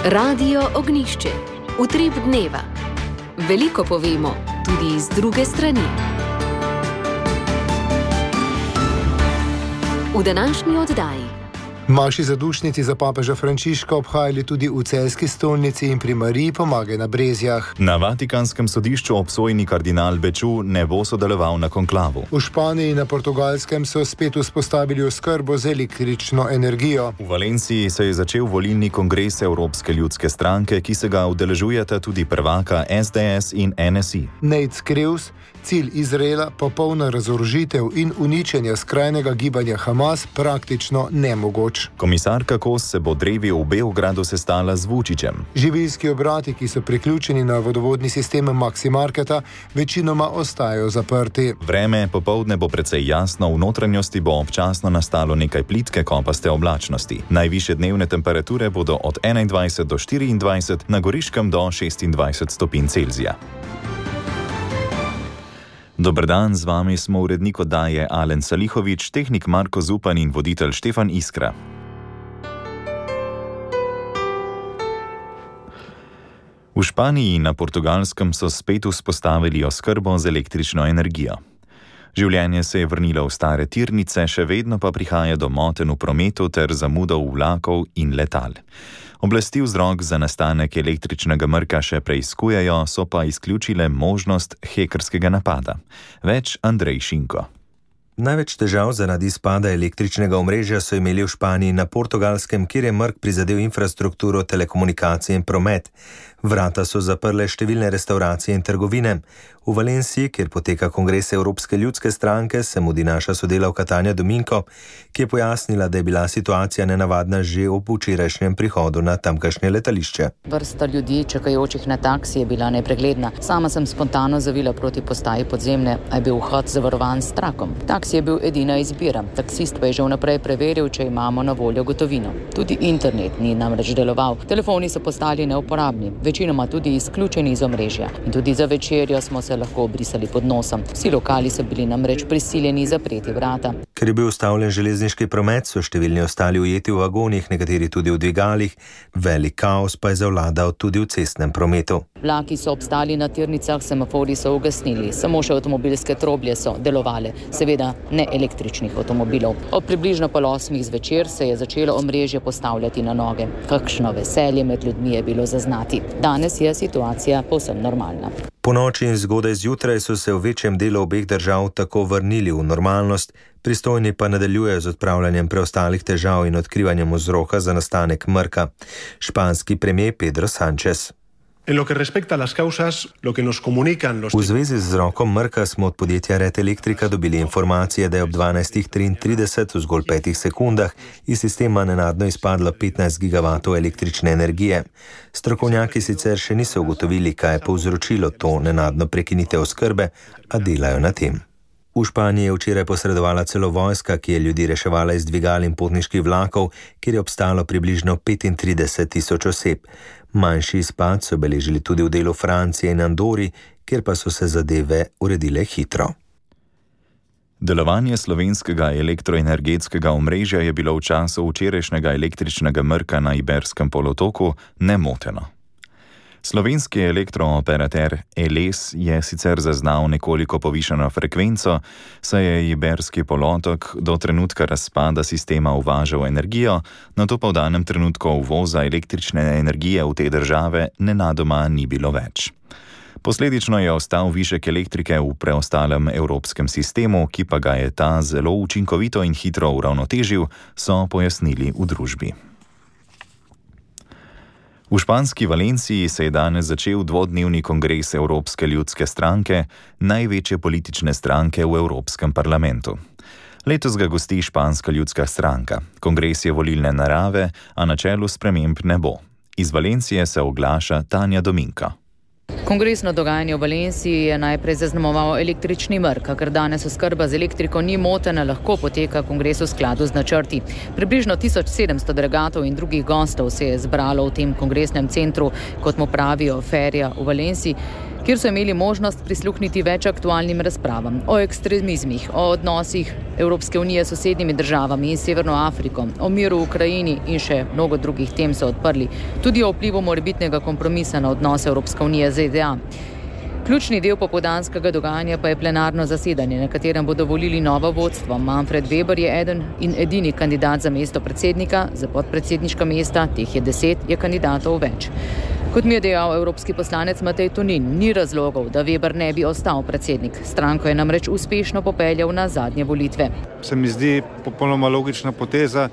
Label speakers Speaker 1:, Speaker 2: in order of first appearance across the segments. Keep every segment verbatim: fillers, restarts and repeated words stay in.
Speaker 1: Radio Ognjišče. Utrip dneva. Veliko povemo, tudi iz druge strani. V današnji oddaji.
Speaker 2: Maši zadušnici za papeža Frančiška obhajali tudi v celjski stolnici in pri Mariji Pomagaj na Brezjah.
Speaker 3: Na Vatikanskem sodišču obsojeni kardinal Beču ne bo sodeloval na konklavu.
Speaker 2: V Španiji in na Portugalskem so spet vzpostavili oskrbo z električno energijo.
Speaker 3: V Valenciji se je začel volilni kongres Evropske ljudske stranke, ki se ga udeležujeta tudi prvaka es de es in en es i.
Speaker 2: Nate Crews, cilj Izraela, popolna razorožitev in uničenja skrajnega gibanja Hamas, praktično nemogoč.
Speaker 3: Komisarka Kos se bo drevi v Beogradu sestala z Vučićem.
Speaker 2: Živilski obrati, ki so priključeni na vodovodni sistem Maxi Marketa, večinoma ostajajo zaprti.
Speaker 3: Vreme popoldne bo precej jasno, v notranjosti bo občasno nastalo nekaj plitke kopaste oblačnosti. Najvišje dnevne temperature bodo od enaindvajset do štiriindvajset, na Goriškem do šestindvajset stopinj Celzija. Dober dan, z vami smo urednik oddaje Alen Salihovič, tehnik Marko Zupan in voditelj Štefan Iskra. V Španiji in na Portugalskem so spet vzpostavili oskrbo z električno energijo. Življenje se je vrnilo v stare tirnice, še vedno pa prihaja do motenj v prometu ter zamudov vlakov in letal. Oblasti vzrok za nastanek električnega mrka še preiskujejo, so pa izključile možnost hekerskega napada. Več Andrej Šinko.
Speaker 4: Največ težav zaradi izpada električnega omrežja so imeli v Španiji in na Portugalskem, kjer je mrk prizadel infrastrukturo, telekomunikacije in promet. Vrata so zaprle številne restauracije in trgovine. V Valenciji, kjer poteka kongres Evropske ljudske stranke, se mudi naša sodelavka Tanja Dominko, ki je pojasnila, da je bila situacija nenavadna že ob včerajšnjem prihodu na tamkajšnje letališče.
Speaker 5: Vrsta ljudi, čakajočih na taksi, je bila nepregledna. Sama sem spontano zavila proti postaji podzemne, a je bil vhod zavarovan s trakom. Taksi je bil edina izbira. Taksist pa je že vnaprej preveril, če imamo na voljo gotovino. Tudi internet ni namreč deloval. Telefoni so postali neuporabni, večinoma tudi izključeni iz omrežja. In tudi za večerjo smo se lahko obrisali pod nosom. Vsi lokali so bili namreč prisiljeni zapreti vrata.
Speaker 4: Ker je bil ustavljen železniški promet, so številni ostali ujeti v vagonih, nekateri tudi v dvigalih. Velik kaos pa je zavladal tudi v cestnem prometu.
Speaker 5: Vlaki so obstali na tirnicah, semafori so ugasnili, samo še avtomobilske troblje so delovale, seveda ne električnih avtomobilov. Ob približno pol osmih zvečer se je začelo omrežje postavljati na noge. Kakšno veselje med ljudmi je bilo zaznati. Danes je situacija povsem normalna.
Speaker 4: Po noči in zgodaj zjutraj so se v večjem delu obeh držav tako vrnili v normalnost, pristojni pa nadaljujejo z odpravljanjem preostalih težav in odkrivanjem vzroka za nastanek mrka. Španski premier Pedro Sánchez. V zvezi z vzrokom mrka smo od podjetja Red Eléctrica dobili informacije, da je ob dvanajstih triintrideset v zgolj petih sekundah iz sistema nenadno izpadlo petnajst gigavatov električne energije. Strokovnjaki sicer še niso ugotovili, kaj je povzročilo to nenadno prekinitev oskrbe, a delajo na tem. V Španiji je včeraj posredovala celo vojska, ki je ljudi reševala iz dvigal in potniških vlakov, kjer je obstalo približno petintrideset tisoč oseb. Manjši izpad so beležili tudi v delu Francije in Andori, kjer pa so se zadeve uredile hitro.
Speaker 3: Delovanje slovenskega elektroenergetskega omrežja je bilo v času včerajšnjega električnega mrka na Iberskem polotoku nemoteno. Slovenski elektrooperater Eles je sicer zaznal nekoliko povišano frekvenco, saj je Iberski polotok do trenutka razpada sistema uvažal energijo, nato pa v danem trenutku uvoza električne energije v te države nenadoma ni bilo več. Posledično je ostal višek elektrike v preostalem evropskem sistemu, ki pa ga je ta zelo učinkovito in hitro uravnotežil, so pojasnili v družbi. V španski Valenciji se je danes začel dvodnevni kongres Evropske ljudske stranke, največje politične stranke v Evropskem parlamentu. Letos ga gosti Španska ljudska stranka. Kongres je volilne narave, a na čelu sprememb ne bo. Iz Valencije se oglaša Tanja Dominko.
Speaker 5: Kongresno dogajanje v Valenciji je najprej zaznamoval električni mrk, ker danes oskrba z elektriko ni motena, lahko poteka kongres v skladu z načrti. Približno tisoč sedemsto delegatov in drugih gostov se je zbralo v tem kongresnem centru, kot mu pravijo Feria v Valenciji, kjer so imeli možnost prisluhniti več aktualnim razpravam o ekstremizmih, o odnosih Evropske unije s sosednjimi državami in Severno Afriko, o miru v Ukrajini in še mnogo drugih tem so odprli, tudi o vplivu morebitnega kompromisa na odnose Evropske unije z Z D A. Ključni del popoldanskega dogajanja pa je plenarno zasedanje, na katerem bodo volili novo vodstvo. Manfred Weber je eden in edini kandidat za mesto predsednika, za podpredsedniška mesta, teh je deset, je kandidatov več. Kot mi je dejal evropski poslanec Matej Tonin, ni razlogov, da Weber ne bi ostal predsednik. Stranko je namreč uspešno popeljal na zadnje volitve.
Speaker 6: Se mi zdi popolnoma logična poteza,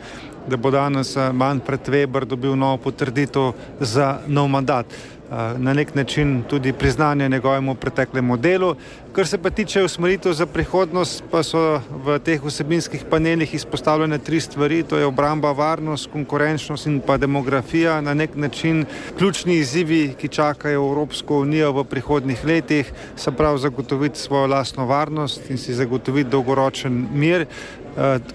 Speaker 6: da bo danes Manfred Weber dobil novo potrditev za nov mandat. Na nek način tudi priznanje njegovemu preteklemu delu. Kar se pa tiče usmeritev za prihodnost, pa so v teh vsebinskih panelih izpostavljene tri stvari, to je obramba, varnost, konkurenčnost in pa demografija. Na nek način ključni izzivi, ki čakajo Evropsko unijo v prihodnjih letih, se pravi zagotoviti svojo lastno varnost in si zagotoviti dolgoročen mir,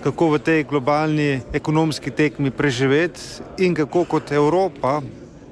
Speaker 6: kako v tej globalni ekonomski tekmi preživeti in kako kot Evropa,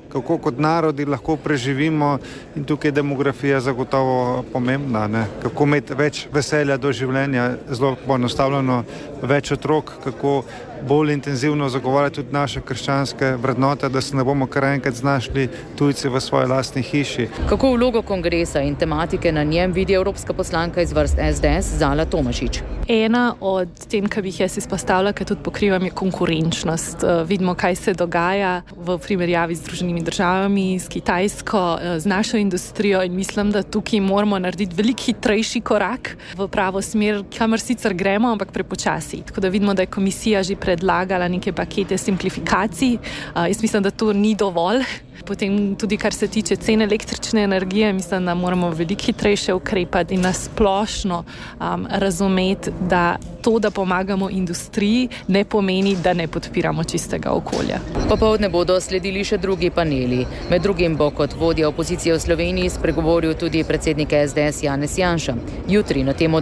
Speaker 6: kako kot narodi lahko preživimo, in tukaj je demografija zagotovo pomembna, ne? Kako imeti več veselja do življenja, zelo poenostavljeno več otrok, kako bolj intenzivno zagovarjati tudi naše krščanske vrednote, da se ne bomo kar enkrat znašli tujci v svoji lastni hiši.
Speaker 5: Kako vlogo kongresa in tematike na njem vidi evropska poslanka iz vrst S D S Zala Tomašič?
Speaker 7: Ena od tem, ki bi jih jaz izpostavila, ki tudi pokrivam, je konkurenčnost. Vidimo, kaj se dogaja v primerjavi z Združenimi državami, s Kitajsko, z našo industrijo, in mislim, da tukaj moramo narediti veliko hitrejši korak v pravo smer, kamor sicer gremo, ampak prepočasi. Tako da vidimo, da je komisija že predlagala neke pakete simplifikacij. Jaz mislim, da to ni dovolj. Potem tudi, kar se tiče cen električne energije, mislim, da moramo veliko hitrejše ukrepati in nasplošno um, razumeti, da to, da pomagamo industriji, ne pomeni, da ne podpiramo čistega okolja.
Speaker 5: Popoldne bodo sledili še drugi paneli. Med drugim bo kot vodja opozicije v Sloveniji spregovoril tudi predsednik S D S Janez Janša. Jutri na temo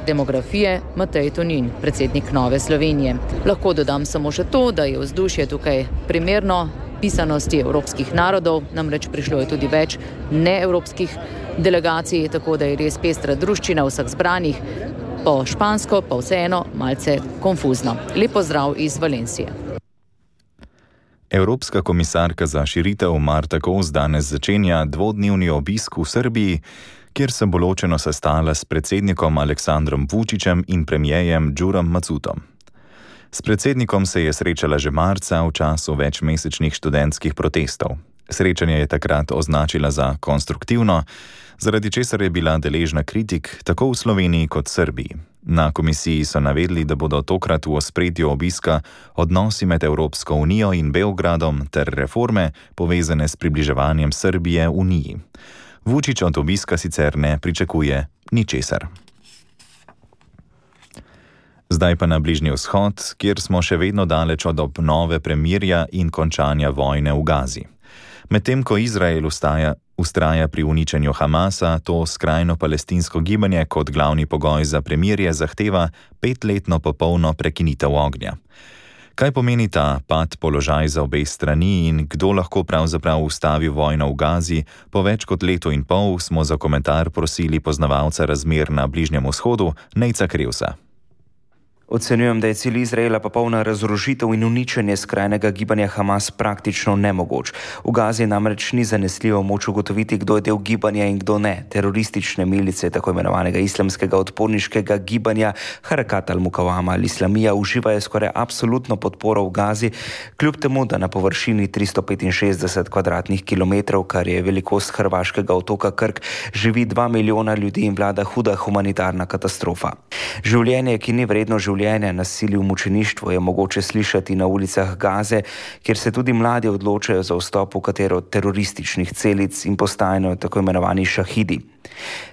Speaker 5: demografije Matej Tonin, predsednik Nove Slovenije. Lahko dodam samo še to, da je vzdušje tukaj primerno pisanosti evropskih narodov, namreč prišlo je tudi več neevropskih delegacij, tako da je res pestra druščina vseh zbranih, po špansko pa vseeno malce konfuzno. Lep pozdrav iz Valencije.
Speaker 3: Evropska komisarka za širitev Marta Kos danes začenja dvodnevni obisk v Srbiji, kjer se bo ločeno sestala s predsednikom Aleksandrom Vučićem in premierjem Đurom Macutom. S predsednikom se je srečala že marca v času večmesečnih študentskih protestov. Srečanje je takrat označila za konstruktivno, zaradi česar je bila deležna kritik tako v Sloveniji kot Srbiji. Na komisiji so navedli, da bodo tokrat v ospredju obiska odnosi med Evropsko unijo in Beogradom ter reforme povezane s približevanjem Srbije Uniji. Vučić od obiska sicer ne pričakuje ničesar. Zdaj pa na Bližnji vzhod, kjer smo še vedno daleč od obnove premirja in končanja vojne v Gazi. Medtem ko Izrael ustaja, ustraja pri uničenju Hamasa, to skrajno palestinsko gibanje kot glavni pogoj za premirje zahteva petletno popolno prekinitev ognja. Kaj pomeni ta pad položaj za obe strani in kdo lahko pravzaprav ustavi vojno v Gazi, po več kot letu in pol smo za komentar prosili poznavalca razmer na Bližnjem vzhodu, Nejca Krevsa.
Speaker 8: Ocenjujem, da je cilj Izraela popolna razorožitev in uničenje skrajnega gibanja Hamas praktično nemogoč. V Gazi namreč ni zanesljivo moč ugotoviti, kdo je del gibanja in kdo ne. Teroristične milice tako imenovanega islamskega odporniškega gibanja Harakat al-Mukawama al-Islamija uživajo skoraj absolutno podporo v Gazi, kljub temu, da na površini tristo petinšestdeset kvadratnih kilometrov, kar je velikost hrvaškega otoka Krk, živi dva milijona ljudi in vlada huda humanitarna katastrofa. Življenje, ki ni vredno življenja, nasilje v mučeništvu je mogoče slišati na ulicah Gaze, kjer se tudi mladi odločajo za vstop v katero od terorističnih celic in postajajo tako imenovani šahidi.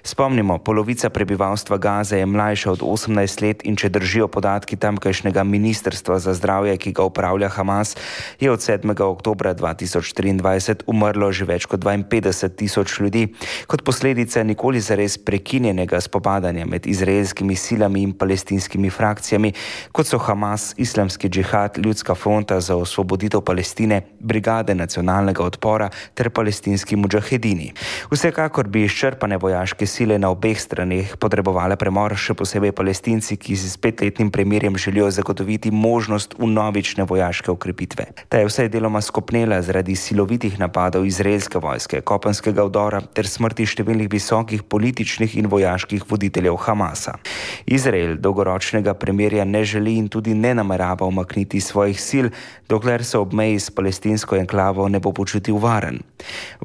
Speaker 8: Spomnimo, polovica prebivalstva Gaze je mlajša od osemnajst let in če držijo podatki tamkajšnjega ministrstva za zdravje, ki ga upravlja Hamas, je od sedmega oktobra dva tisoč triindvajset umrlo že več kot dvainpetdeset tisoč ljudi, kot posledica nikoli zares prekinjenega spopadanja med izraelskimi silami in palestinskimi frakcijami, organizacijami, kot so Hamas, Islamski džihad, Ljudska fronta za osvoboditev Palestine, Brigade nacionalnega odpora ter palestinski mudžahedini. Vsekakor bi izčrpane vojaške sile na obeh straneh potrebovale premor, še posebej Palestinci, ki si s petletnim premirjem želijo zagotoviti možnost vnovične vojaške okrepitve. Ta je vsaj deloma skopnela zaradi silovitih napadov izraelske vojske, kopenskega vdora ter smrti številnih visokih političnih in vojaških voditeljev Hamasa. Izrael dolgoročnega premirja ne želi in tudi ne namerava umakniti svojih sil, dokler se ob meji s palestinsko enklavo ne bo počutil varen.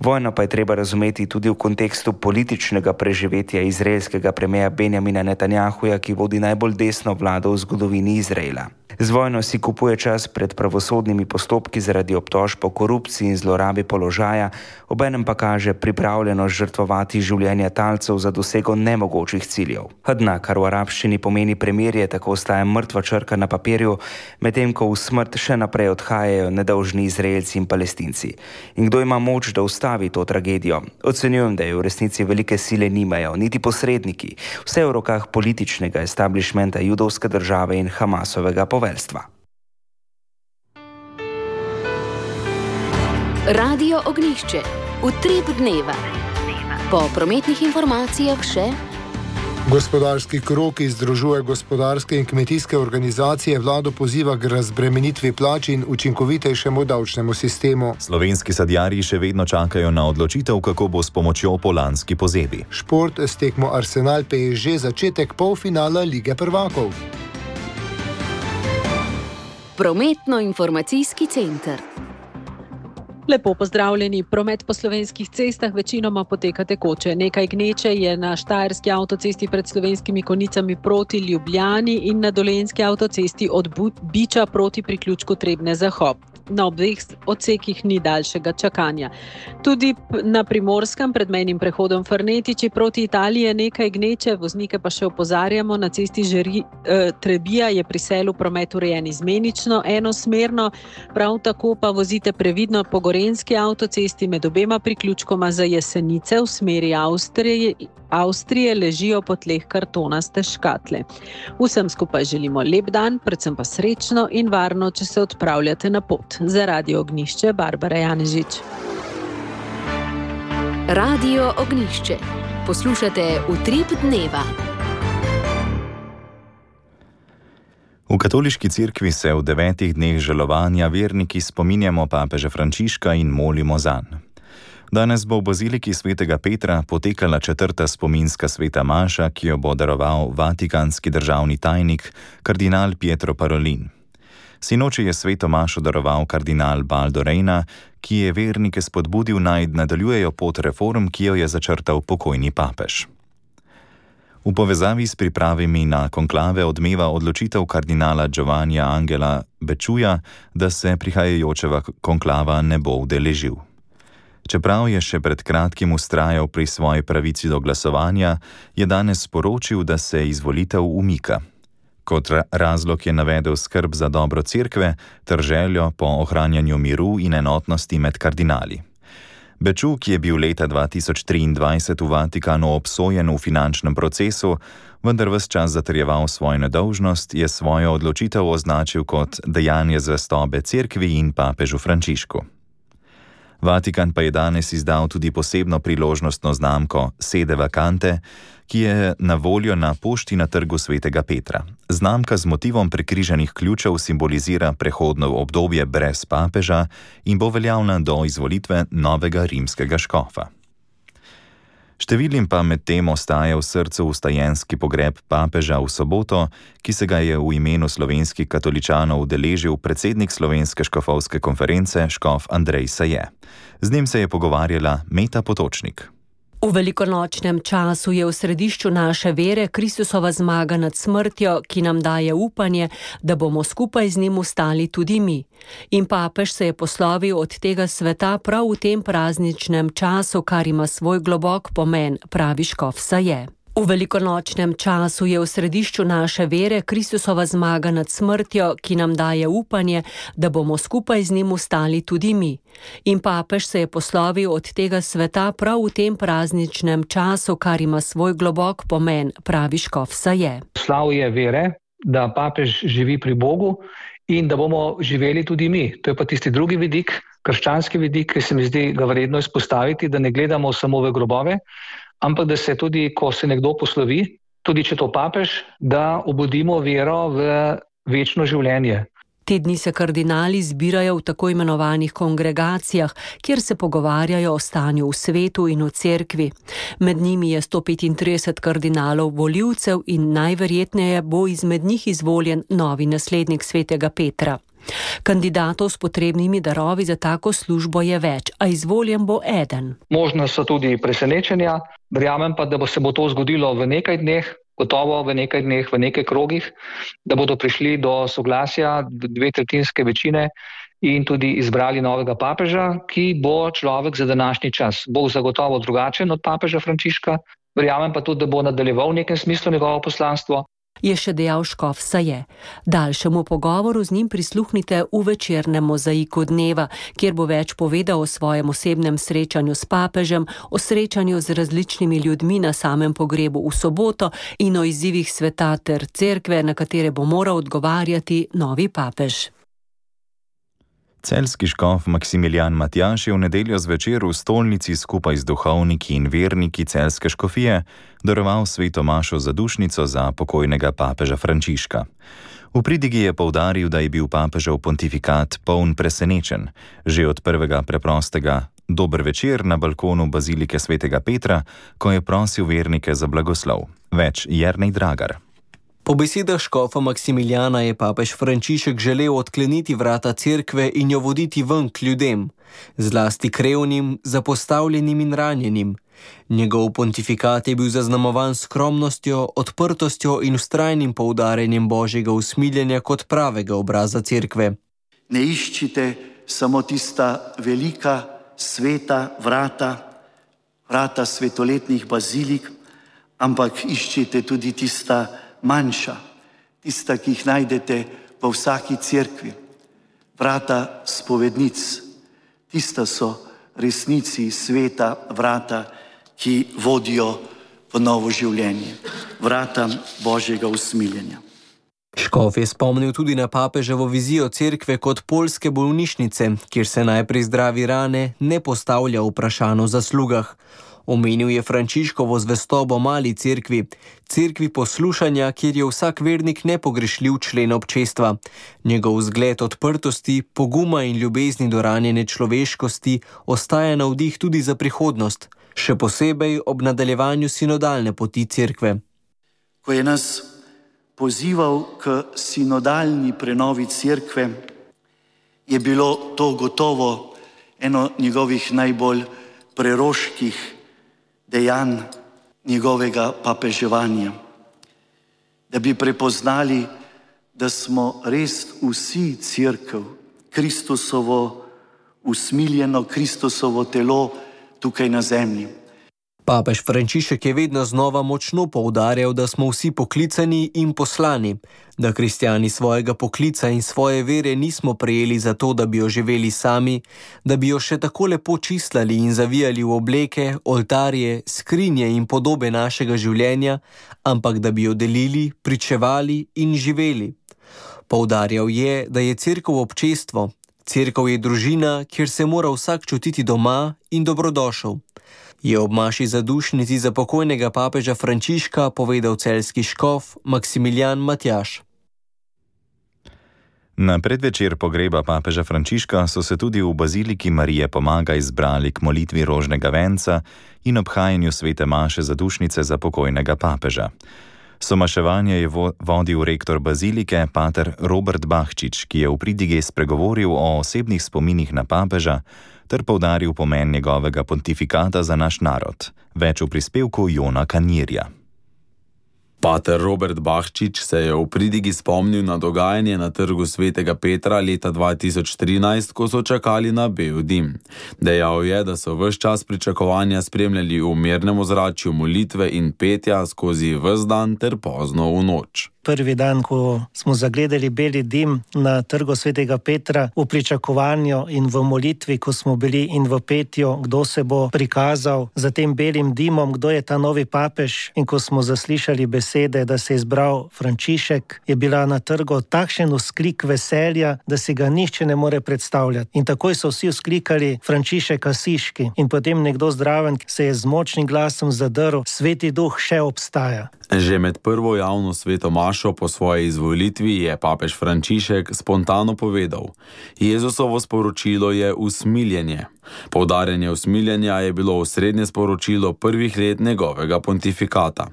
Speaker 8: Vojno pa je treba razumeti tudi v kontekstu političnega preživetja izraelskega premierja Benjamina Netanjahuja, ki vodi najbolj desno vlado v zgodovini Izraela. Z vojno si kupuje čas pred pravosodnimi postopki zaradi obtožb o korupciji in zlorabi položaja, obenem pa kaže pripravljenost žrtvovati življenja talcev za dosego nemogočih ciljev. Hadna, kar v arabščini pomeni premirje, tako ostaja mrtva črka na papirju, medtem ko v smrt še naprej odhajajo nedolžni Izraelci in Palestinci. In kdo ima moč, da ustavi to tragedijo? Ocenjujem, da je v resnici velike sile nimajo, niti posredniki. Vse je v rokah političnega establishmenta judovske države in Hamasovega poveljstva.
Speaker 1: Radio Ognjišče. Utrip dneva. Po prometnih informacijah še
Speaker 2: Gospodarski krog, ki združuje gospodarske in kmetijske organizacije, vlado poziva k razbremenitvi plač in učinkovitejšemu davčnemu sistemu.
Speaker 3: Slovenski sadjarji še vedno čakajo na odločitev, kako bo s pomočjo po lanski pozebe.
Speaker 2: Šport s tekmo Arsenal P S G začetek polfinala Lige prvakov.
Speaker 1: Prometno-informacijski center.
Speaker 9: Lepo pozdravljeni. Promet po slovenskih cestah večinoma poteka tekoče. Nekaj gneče je na Štajerski avtocesti pred Slovenskimi Konjicami proti Ljubljani in na Dolenjski avtocesti od Biča proti priključku Trebnje-Zahod. Na obeh odsekih ni daljšega čakanja. Tudi na Primorskem pred mejnim prehodom Farnetiči proti Italiji je nekaj gneče, voznike pa še opozarjamo, na cesti Žeri, eh, Trebija je pri selu promet urejen izmenično, enosmerno, prav tako pa vozite previdno po Gorenjski avtocesti med obema priključkoma za Jesenice v smeri Avstrije, Avstrije ležijo po tleh kartonaste škatle. Vsem skupaj želimo lep dan, predvsem pa srečno in varno, če se odpravljate na pot. Za Radio Ognjišče, Barbara Janežič.
Speaker 1: Radio Ognjišče. Poslušate Utrip dneva.
Speaker 3: V katoliški cerkvi se v devetih dneh žalovanja verniki spominjamo papeža Frančiška in molimo zanj. Danes bo v baziliki svetega Petra potekala četrta spominska sveta maša, ki jo bo daroval vatikanski državni tajnik, kardinal Pietro Parolin. Sinoči je sveto mašo daroval kardinal Baldo Reina, ki je vernike spodbudil naj nadaljujejo pot reform, ki jo je začrtal pokojni papež. V povezavi s pripravami na konklave odmeva odločitev kardinala Giovannija Angela Bečuja, da se prihajajočega konklava ne bo udeležil. Čeprav je še pred kratkim vztrajal pri svoji pravici do glasovanja, je danes sporočil, da se izvolitev umika. Kot razlog je navedel skrb za dobro cerkve ter željo po ohranjanju miru in enotnosti med kardinali. Beču, ki je bil leta dva tisoč triindvajset v Vatikanu obsojen v finančnem procesu, vendar ves čas zatrjeval svojo nedolžnost, je svojo odločitev označil kot dejanje zvestobe cerkvi in papežu Frančišku. Vatikan pa je danes izdal tudi posebno priložnostno znamko Sede Vacante, ki je na voljo na pošti na trgu svetega Petra. Znamka z motivom prekrižanih ključev simbolizira prehodno obdobje brez papeža in bo veljavna do izvolitve novega rimskega škofa. Številnim pa med tem ostaja v srcu vstajenski pogreb papeža v soboto, ki se ga je v imenu slovenskih katoličanov udeležil predsednik Slovenske škofovske konference škof Andrej Saje. Z njim se je pogovarjala Meta Potočnik.
Speaker 10: V velikonočnem času je v središču naše vere Kristusova zmaga nad smrtjo, ki nam daje upanje, da bomo skupaj z njim ostali tudi mi. In papež se je poslovil od tega sveta prav v tem prazničnem času, kar ima svoj globok pomen, pravi škof Saje. V velikonočnem času je v središču naše vere Kristusova zmaga nad smrtjo, ki nam daje upanje, da bomo skupaj z njim ostali tudi mi. In papež se je poslovil od tega sveta prav v tem prazničnem času, kar ima svoj globok pomen, pravi škof Saje.
Speaker 11: Slavje vere da papež živi pri Bogu in da bomo živeli tudi mi. To je pa tisti drugi vidik, krščanski vidik, ki se mi zdi ga vredno izpostaviti, da ne gledamo samo v grobove, ampak da se tudi, ko se nekdo poslovi, tudi če to papež, da obudimo vero v večno življenje.
Speaker 10: Te dni se kardinali zbirajo v tako imenovanih kongregacijah, kjer se pogovarjajo o stanju v svetu in v cerkvi. Med njimi je sto petintrideset kardinalov volivcev in najverjetneje bo izmed njih izvoljen novi naslednik svetega Petra. Kandidatov s potrebnimi darovi za tako službo je več, a izvoljen bo eden.
Speaker 11: Možno so tudi presenečenja, verjamem pa, da bo se bo to zgodilo v nekaj dneh, gotovo v nekaj dneh, v nekaj krogih, da bodo prišli do soglasja dve tretjinske večine in tudi izbrali novega papeža, ki bo človek za današnji čas. Bo zagotovo drugačen od papeža Frančiška, verjamem pa tudi, da bo nadaljeval v nekem smislu njegovo poslanstvo.
Speaker 10: Je še dejal škof Saje. Daljšemu pogovoru z njim prisluhnite v večernem mozaiku dneva, kjer bo več povedal o svojem osebnem srečanju s papežem, o srečanju z različnimi ljudmi na samem pogrebu v soboto in o izzivih sveta ter cerkve, na katere bo moral odgovarjati novi papež.
Speaker 3: Celjski škof Maksimilijan Matjaž je v nedeljo zvečer v stolnici skupaj z duhovniki in verniki celjske škofije daroval sveto mašo zadušnico za pokojnega papeža Frančiška. V pridigi je poudaril, da je bil papežev pontifikat poln presenečen. Že od prvega preprostega dober večer na balkonu bazilike svetega Petra, ko je prosil vernike za blagoslov. Več Jernej Dragar.
Speaker 12: Po besedah škofa Maksimiljana je papež Frančišek želel odkleniti vrata cerkve in jo voditi ven k ljudem, zlasti k revnim, zapostavljenim in ranjenim. Njegov pontifikat je bil zaznamovan skromnostjo, odprtostjo in vztrajnim poudarjanjem božjega usmiljenja kot pravega obraza cerkve.
Speaker 13: Ne iščite samo tista velika, sveta vrata, vrata svetoletnih bazilik, ampak iščite tudi tista manjša, tista, ki jih najdete v vsaki cerkvi. Vrata spovednic, tista so resnici sveta vrata, ki vodijo v novo življenje. Vrata božjega usmiljenja.
Speaker 12: Škof je spomnil tudi na papeževo vizijo cerkve kot poljske bolnišnice, kjer se najprej zdravi rane, ne postavlja vprašanj o zaslugah. Omenil je Frančiškovo zvestobo mali cerkvi, cerkvi poslušanja, kjer je vsak vernik nepogrešljiv člen občestva. Njegov vzgled odprtosti, poguma in ljubezni do ranjene človeškosti ostaja navdih tudi za prihodnost, še posebej ob nadaljevanju sinodalne poti cerkve.
Speaker 13: Ko je nas pozival k sinodalni prenovi cerkve, je bilo to gotovo eno njegovih najbolj preroških dejanj njegovega papeževanja. Da bi prepoznali, da smo res vsi cerkev, Kristusovo usmiljeno, Kristusovo telo tukaj na zemlji.
Speaker 12: Papež Frančišek je vedno znova močno poudarjal, da smo vsi poklicani in poslani, da kristjani svojega poklica in svoje vere nismo prejeli zato, da bi jo živeli sami, da bi jo še tako lepo čistlali in zavijali v obleke, oltarje, skrinje in podobe našega življenja, ampak da bi jo delili, pričevali in živeli. Poudarjal je, da je cerkev občestvo, cerkev je družina, kjer se mora vsak čutiti doma in dobrodošel. Je ob maši zadušnici za pokojnega papeža Frančiška povedal celjski škof Maksimilijan Matjaž.
Speaker 3: Na predvečer pogreba papeža Frančiška so se tudi v baziliki Marije Pomaga izbrali k molitvi rožnega venca in obhajanju svete maše zadušnice za pokojnega papeža. Somaševanje je vodil rektor bazilike, pater Robert Bahčič, ki je v pridigi spregovoril o osebnih spominih na papeža ter poudaril pomen njegovega pontifikata za naš narod. Več v prispevku Jona Kanirja.
Speaker 14: Pater Robert Bahčič se je v pridigi spomnil na dogajanje na trgu svetega Petra leta dva tisoč trinajst, ko so čakali na bel dim. Dejal je, da so ves čas pričakovanja spremljali v mirnem ozračju molitve in petja skozi ves dan ter pozno v noč.
Speaker 15: prvi dan, ko smo zagledali beli dim na trgu Svetega Petra, v pričakovanju in v molitvi, ko smo bili in v petju, kdo se bo prikazal za tem belim dimom, kdo je ta novi papež, in ko smo zaslišali besede, da se je izbral Frančišek, je bila na trgu takšen vzklik veselja, da si ga nihče ne more predstavljati. In takoj so vsi vzklikali Frančišek Asiški in potem nekdo zdraven se je z močnim glasom zadrl: Sveti Duh še obstaja.
Speaker 14: Že med prvo javno sveto mašo po svoji izvolitvi je papež Frančišek spontano povedal: Jezusovo sporočilo je usmiljenje. Poudarjanje usmiljenja je bilo osrednje sporočilo prvih let njegovega pontifikata.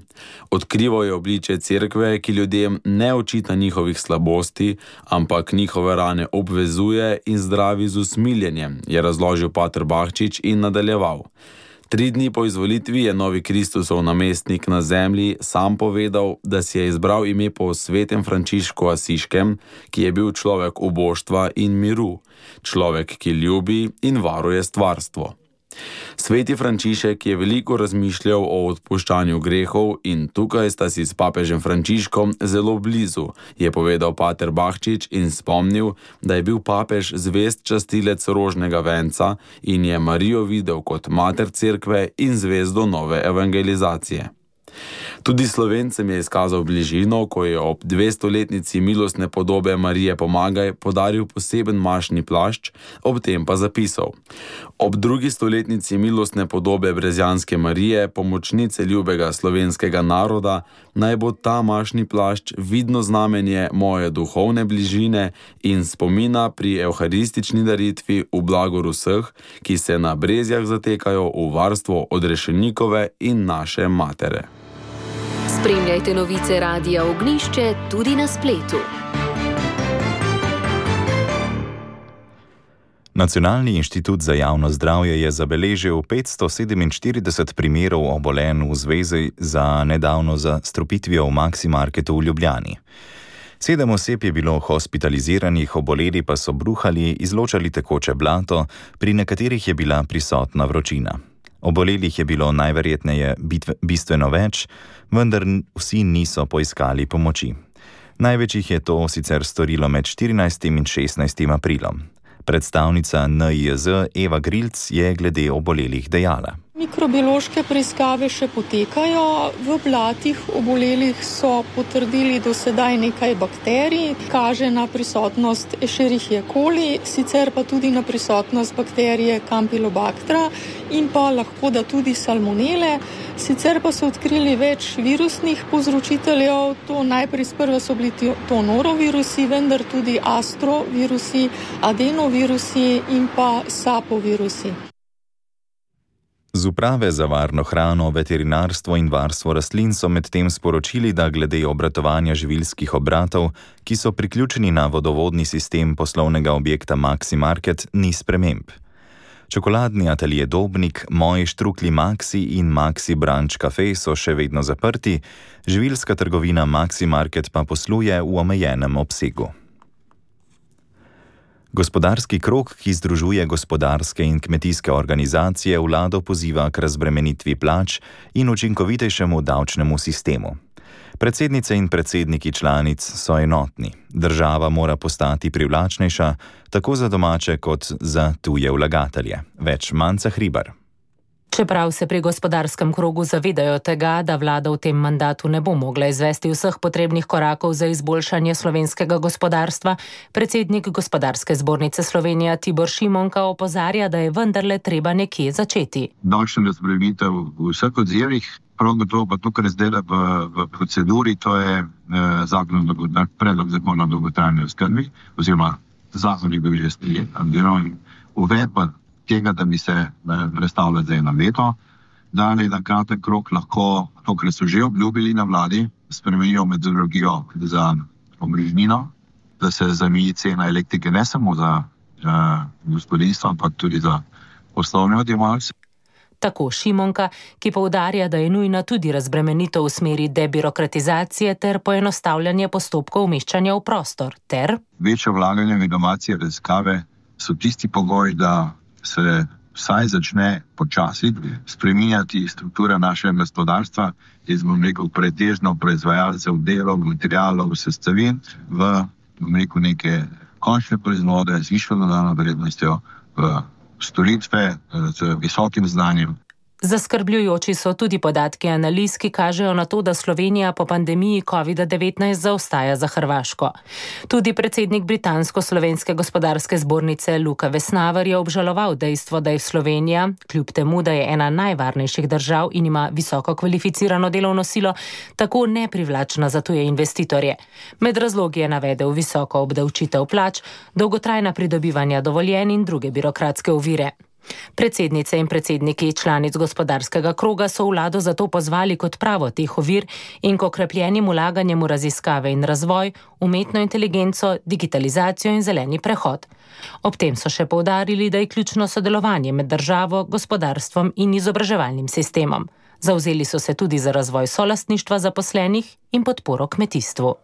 Speaker 14: Odkrival je obličje cerkve, ki ljudem ne očita njihovih slabosti, ampak njihove rane obvezuje in zdravi z usmiljenjem, je razložil pater Bahčič in nadaljeval. Tri dni po izvolitvi je novi Kristusov namestnik na zemlji sam povedal, da si je izbral ime po svetem Frančišku Asiškem, ki je bil človek uboštva in miru, človek, ki ljubi in varuje stvarstvo. Sveti Frančišek je veliko razmišljal o odpuščanju grehov in tukaj sta si s papežem Frančiškom zelo blizu, je povedal pater Bahčič in spomnil, da je bil papež zvest častilec rožnega venca in je Marijo videl kot mater cerkve in zvezdo nove evangelizacije. Tudi Slovencem je izkazal bližino, ko je ob dvestoletnici milostne podobe Marije Pomagaj podaril poseben mašni plašč, ob tem pa zapisal: Ob drugi stoletnici milostne podobe Brezjanske Marije, pomočnice ljubega slovenskega naroda, naj bo ta mašni plašč vidno znamenje moje duhovne bližine in spomina pri evharistični daritvi v blagor vseh, ki se na Brezjah zatekajo v varstvo odrešenikove in naše matere.
Speaker 1: Spremljajte novice Radia Ognjišče tudi na spletu.
Speaker 3: Nacionalni inštitut za javno zdravje je zabeležil petsto sedeminštirideset primerov obolenj v zvezi za nedavno zastrupitvijo v Maximarketu v Ljubljani. Sedem oseb je bilo hospitaliziranih, oboleli pa so bruhali, izločali tekoče blato, pri nekaterih je bila prisotna vročina. Obolelih je bilo najverjetneje bistveno več, vendar vsi niso poiskali pomoči. Največ jih je to sicer storilo med štirinajstim in šestnajstim aprilom. Predstavnica N I J Z Eva Grilc je glede obolelih dejala.
Speaker 16: Mikrobiološke preiskave še potekajo. V blatih obolelih so potrdili do sedaj nekaj bakterij, kaže na prisotnost Escherichia coli, sicer pa tudi na prisotnost bakterije Campylobacter in pa lahko da tudi salmonele. Sicer pa so odkrili več virusnih povzročiteljev, to najprej sprva so bili to norovirusi, vendar tudi astrovirusi, adenovirusi in pa sapovirusi.
Speaker 3: Z uprave za varno hrano, veterinarstvo in varstvo rastlin so medtem sporočili, da glede obratovanja živilskih obratov, ki so priključeni na vodovodni sistem poslovnega objekta Maximarket, ni sprememb. Čokoladni atelje Dobnik, Moji štrukli Maxi in Maxi Branch Cafe so še vedno zaprti, živilska trgovina Maximarket pa posluje v omejenem obsegu. Gospodarski krog, ki združuje gospodarske in kmetijske organizacije, vlado poziva k razbremenitvi plač in učinkovitejšemu davčnemu sistemu. Predsednice in predsedniki članic so enotni. Država mora postati privlačnejša, tako za domače kot za tuje vlagatelje. Več Manca Hribar.
Speaker 17: Čeprav se pri gospodarskem krogu zavedajo tega, da vlada v tem mandatu ne bo mogla izvesti vseh potrebnih korakov za izboljšanje slovenskega gospodarstva, predsednik Gospodarske zbornice Slovenije Tibor Šimonka opozarja, da je vendarle treba nekje začeti.
Speaker 18: Davčna razbremenitev v vseh odzivih, prav gotovo pa to, kar je zdaj v, v proceduri, to je eh, zakon, predlog zakona o dolgotrajni oskrbi, oziroma zakon je bil že sprejet, uvedba tega, da bi se predstavljali za eno leto, da je na kratek krok lahko to, kar so že obljubili na vladi, spremenijo metodologijo za omrežnino, da se zameji cena elektrike ne samo za uh, gospodinstvo, ampak tudi za poslovne odjemalce.
Speaker 17: Tako Šimonka, ki poudarja, da je nujna tudi razbremenitev v smeri debirokratizacije ter poenostavljanje postopkov umeščanja v prostor, ter
Speaker 18: večje vlaganje v inovacije, raziskave so tisti pogoj, da se vsaj začne počasi spreminjati struktura našega gospodarstva iz, bom rekel, pretežno proizvajalcev delov, materialov, sestavin v, bom rekel, neke končne proizvode z višjo dodano vrednostjo, v storitve z visokim znanjem.
Speaker 17: Zaskrbljujoči so tudi podatki analiz, ki kažejo na to, da Slovenija po pandemiji covida devetnajst zaostaja za Hrvaško. Tudi predsednik Britansko-slovenske gospodarske zbornice Luka Vesnaver je obžaloval dejstvo, da je Slovenija, kljub temu, da je ena najvarnejših držav in ima visoko kvalificirano delovno silo, tako neprivlačna za tuje investitorje. Med razlogi je navedel visoko obdavčitev plač, dolgotrajna pridobivanja dovoljenj in druge birokratske ovire. Predsednice in predsedniki članic gospodarskega kroga so vlado zato pozvali k odpravo teh ovir in k okrepljenim vlaganjem v raziskave in razvoj, umetno inteligenco, digitalizacijo in zeleni prehod. Ob tem so še poudarili, da je ključno sodelovanje med državo, gospodarstvom in izobraževalnim sistemom. Zavzeli so se tudi za razvoj solastništva zaposlenih in podporo kmetijstvu.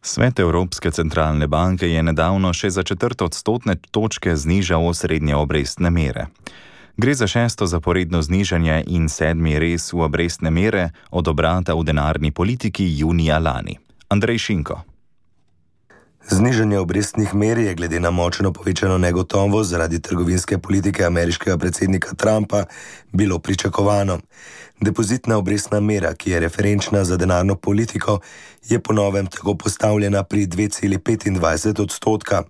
Speaker 3: Svet Evropske centralne banke je nedavno še za četrt odstotne točke znižal osrednje obrestne mere. Gre za šesto zaporedno znižanje in sedmi rez v obrestne mere od obrata v denarni politiki junija lani. Andrej Šinko.
Speaker 4: Znižanje obrestnih mer je glede na močno povečano negotovost zaradi trgovinske politike ameriškega predsednika Trumpa bilo pričakovano. Depozitna obrestna mera, ki je referenčna za denarno politiko, je po novem tako postavljena pri dve celi petindvajset odstotka.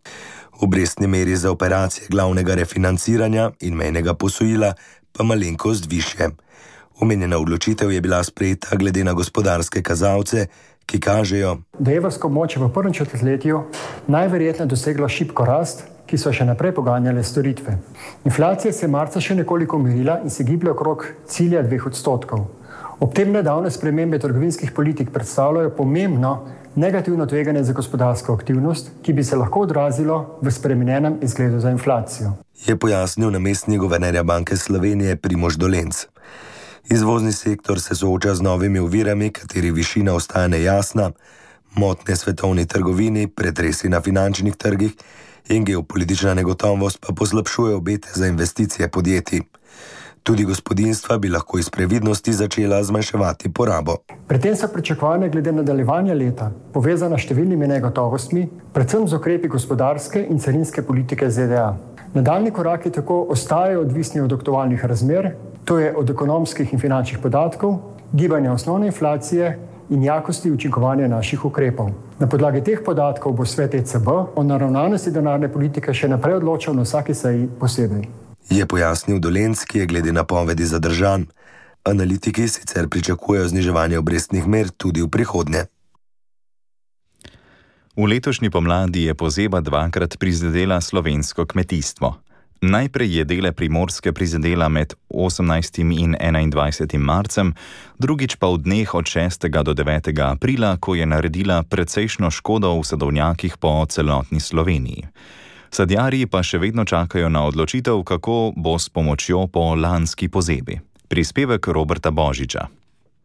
Speaker 4: Obrestni meri za operacije glavnega refinanciranja in mejnega posojila pa malenkost višje. Omenjena odločitev je bila sprejeta glede na gospodarske kazalce, ki kažejo,
Speaker 19: da je evrsko območje v prvem četrtletju najverjetneje doseglo šibko rast, ki so še naprej poganjale storitve. Inflacija se je marca še nekoliko umirila in se giblje okrog cilja dveh odstotkov. Ob tem nedavne spremembe trgovinskih politik predstavljajo pomembno negativno tveganje za gospodarsko aktivnost, ki bi se lahko odrazilo v spremenjenem izgledu za inflacijo.
Speaker 4: Je pojasnil namestnik guvernerja Banke Slovenije Primož Dolenc. Izvozni sektor se sooča z novimi ovirami, kateri višina ostaja nejasna, motnje svetovni trgovini, pretresi na finančnih trgih in geopolitična negotovost pa poslabšuje obete za investicije podjetij. Tudi gospodinjstva bi lahko iz previdnosti začela zmanjševati porabo.
Speaker 19: Pri tem so pričakovanja glede nadaljevanja leta povezana s številnimi negotovostmi, predvsem z ukrepi gospodarske in carinske politike Z D A. Nadaljni koraki tako ostajajo odvisni od aktualnih razmer, to je od ekonomskih in finančnih podatkov, gibanja osnovne inflacije in jakosti učinkovanja naših ukrepov. Na podlagi teh podatkov bo svet E C B o naravnanosti denarne politike še naprej odločal na vsaki seji posebej.
Speaker 4: Je pojasnil Dolenc, ki je glede napovedi zadržan. Analitiki sicer pričakujejo zniževanje obrestnih mer tudi v prihodnje.
Speaker 3: V letošnji pomladi je pozeba dvakrat prizadela slovensko kmetijstvo. Najprej je dele Primorske prizadela med osemnajstim in enaindvajsetim marcem, drugič pa v dneh od šestega do devetega aprila, ko je naredila precejšno škodo v sadovnjakih po celotni Sloveniji. Sadjarji pa še vedno čakajo na odločitev, kako bo s pomočjo po lanski pozebi. Prispevek Roberta Božiča.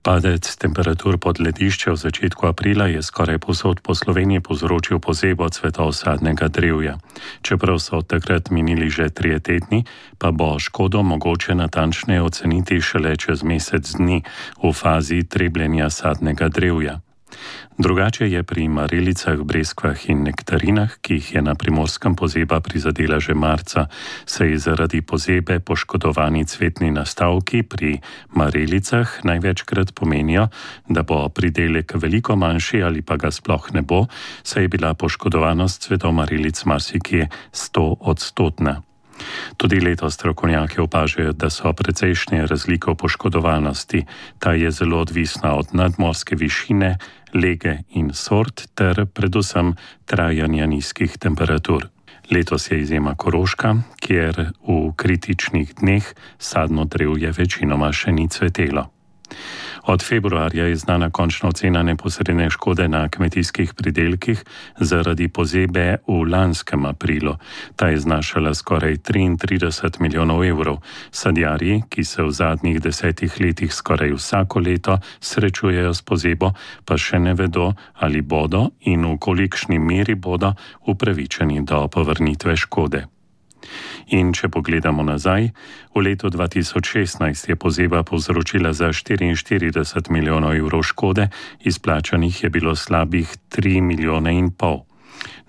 Speaker 20: Padec temperatur pod ledišče v začetku aprila je skoraj povsod po Sloveniji povzročil pozebo cvetov sadnega drevja. Čeprav so od takrat minili že trije tedni, pa bo škodo mogoče natančneje oceniti šele čez mesec dni v fazi trebljenja sadnega drevja. Drugače je pri marelicah, breskvah in nektarinah, ki jih je na Primorskem pozeba prizadela že marca, saj zaradi pozebe poškodovani cvetni nastavki pri marelicah največkrat pomenijo, da bo pridelek veliko manjši ali pa ga sploh ne bo, saj je bila poškodovanost cvetov marelic marsikje sto odstotna. Tudi letos strokovnjaki opažajo, da so precejšnje razlike v poškodovanosti. Ta je zelo odvisna od nadmorske višine, lege in sort ter predvsem trajanja nizkih temperatur. Letos je izjema Koroška, kjer v kritičnih dneh sadno drevje večinoma še ni cvetelo. Od februarja je znana končna ocena neposredne škode na kmetijskih pridelkih zaradi pozebe v lanskem aprilu. Ta je znašala skoraj triintrideset milijonov evrov. Sadjarji, ki se v zadnjih desetih letih skoraj vsako leto srečujejo s pozebo, pa še ne vedo, ali bodo in v kolikšni meri bodo upravičeni do povrnitve škode. In če pogledamo nazaj, v letu dva tisoč šestnajst je pozeba povzročila za štiriinštirideset milijonov evrov škode, izplačanih je bilo slabih tri milijone in pol.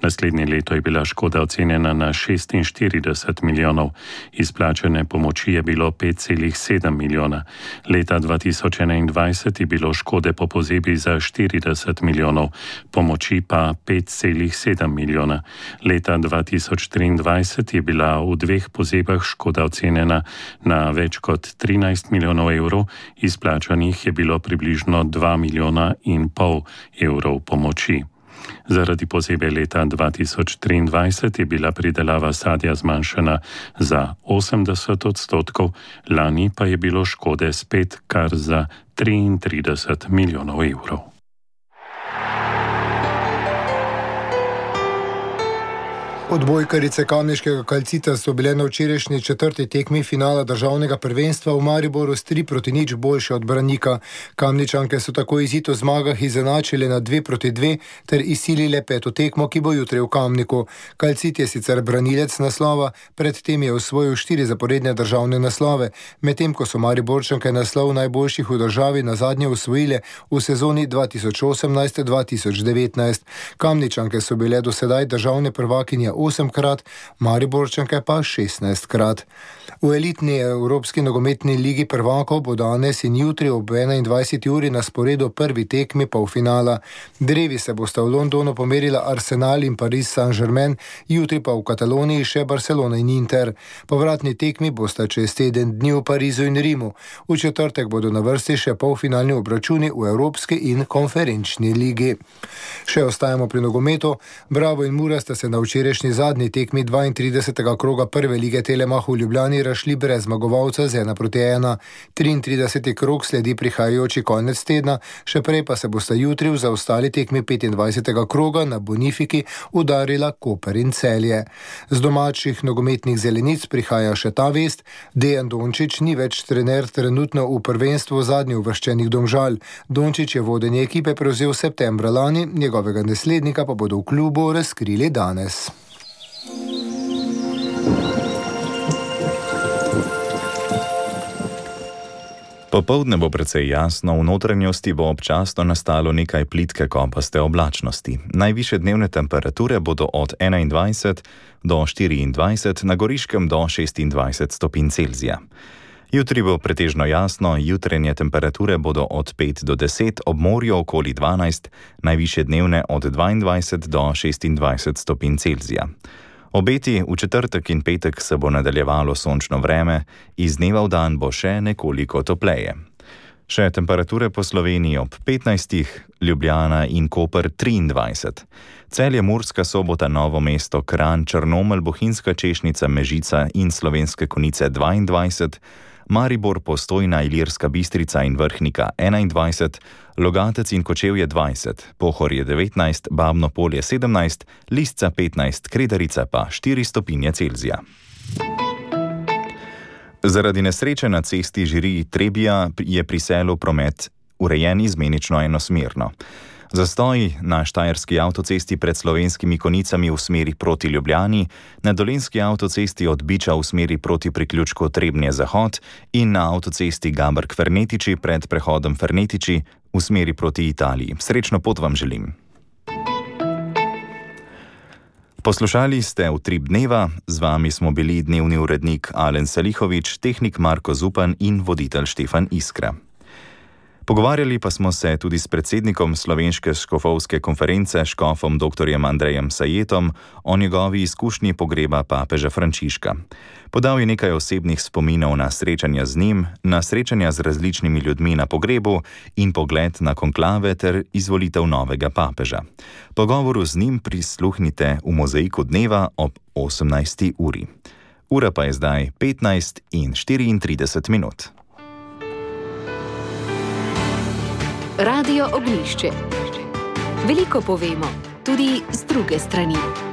Speaker 20: Naslednje leto je bila škoda ocenjena na šestinštirideset milijonov, izplačane pomoči je bilo pet celih sedem milijona. Leta dva tisoč enaindvajset je bilo škode po pozebi za štirideset milijonov, pomoči pa pet celih sedem milijona. Leta dva tisoč triindvajset je bila v dveh pozebah škoda ocenjena na več kot trinajst milijonov evrov, izplačanih je bilo približno dva milijona in pol evrov pomoči. Zaradi pozebe leta dva tisoč triindvajset je bila pridelava sadja zmanjšana za osemdeset odstotkov, lani pa je bilo škode spet kar za triintrideset milijonov evrov.
Speaker 2: Odbojkarice kamniškega Kalcita so bile na včerajšnji četrti tekmi finala državnega prvenstva v Mariboru s tri proti nič boljše od Branika. Kamničanke so tako izid v zmagah izenačile na dve proti dve ter izsilile peto tekmo, ki bo jutri v Kamniku. Kalcit je sicer branilec naslova, predtem je osvojil štiri zaporedne državne naslove, medtem ko so Mariborčanke naslov najboljših v državi nazadnje osvojile v sezoni dva tisoč osemnajst dva tisoč devetnajst. Kamničanke so bile do sedaj državne prvakinje osemkrat, Mariborčanke pa šestnajstkrat. V elitni Evropski nogometni ligi prvakov bo danes in jutri ob enaindvajseti uri na sporedu prvi tekmi polfinala. Drevi se bosta v Londonu pomerila Arsenal in Paris Saint-Germain, jutri pa v Kataloniji še Barcelona in Inter. Povratni tekmi bosta čez teden dni v Parizu in Rimu. V četrtek bodo na vrsti še polfinalni obračuni v Evropski in konferenčni ligi. Še ostajamo pri nogometu. Bravo in Mura sta se na včerajšnji zadnji tekmi dvaintridesetega kroga prve lige Telemach v Ljubljani rašli brez zmagovalca z ena proti ena. triintrideseti krog sledi prihajajoči konec tedna, še prej pa se bosta jutri v zaostali tekmi petindvajsetega kroga na Bonifiki udarila Koper in Celje. Z domačih nogometnih zelenic prihaja še ta vest: Dejan Dončić ni več trener trenutno v prvenstvu zadnji uvrščenih Domžal. Dončić je vodenje ekipe prevzel septembra lani, njegovega naslednika pa bodo v klubu razkrili danes.
Speaker 3: Popoldne bo precej jasno, v notranjosti bo občasno nastalo nekaj plitke kopaste oblačnosti. Najvišje dnevne temperature bodo od enaindvajset do štiriindvajset, na Goriškem do šestindvajset stopinj Celzija. Jutri bo pretežno jasno, jutrenje temperature bodo od pet do deset, ob morju okoli dvanajst, najvišje dnevne od dvaindvajset do šestindvajset stopinj Celzija. Obeti v četrtek in petek se bo nadaljevalo sončno vreme, iz dneva v dan bo še nekoliko topleje. Še temperature po Sloveniji ob petnajstih, Ljubljana in Koper triindvajset. Celje, Murska Sobota, Novo mesto, Kranj, Črnomelj, Bohinjska Češnica, Mežica in Slovenske Konjice dvaindvajset, Maribor, Postojna, Ilirska Bistrica in Vrhnika enaindvajset, Logatec in Kočevje dvajset, Pohorje devetnajst, Babno Polje sedemnajst, Lisca petnajst, Kredarica pa štiri stopinje Celzija. Zaradi nesreče na cesti Žiri-Trebija je pri Selu promet urejen izmenično enosmerno. Zastoj na štajerski avtocesti pred Slovenskimi Konjicami v smeri proti Ljubljani, na dolenjski avtocesti od Biča v smeri proti priključku Trebnje-Zahod in na avtocesti Gabrk-Fernetiči pred prehodom Fernetiči v smeri proti Italiji. Srečno pot vam želim. Poslušali ste Utrip dneva, z vami smo bili dnevni urednik Alen Salihovič, tehnik Marko Zupan in voditelj Štefan Iskra. Pogovarjali pa smo se tudi s predsednikom Slovenske škofovske konference, škofom doktorjem Andrejem Sajetom, o njegovi izkušnji pogreba papeža Frančiška. Podal je nekaj osebnih spominov na srečanja z njim, na srečanja z različnimi ljudmi na pogrebu in pogled na konklave ter izvolitev novega papeža. Pogovoru z njim prisluhnite v Mozaiku dneva ob osemnajsti uri. Ura pa je zdaj petnajst in štiriintrideset minut.
Speaker 1: Radio Ognjišče. Veliko povemo, tudi z druge strani.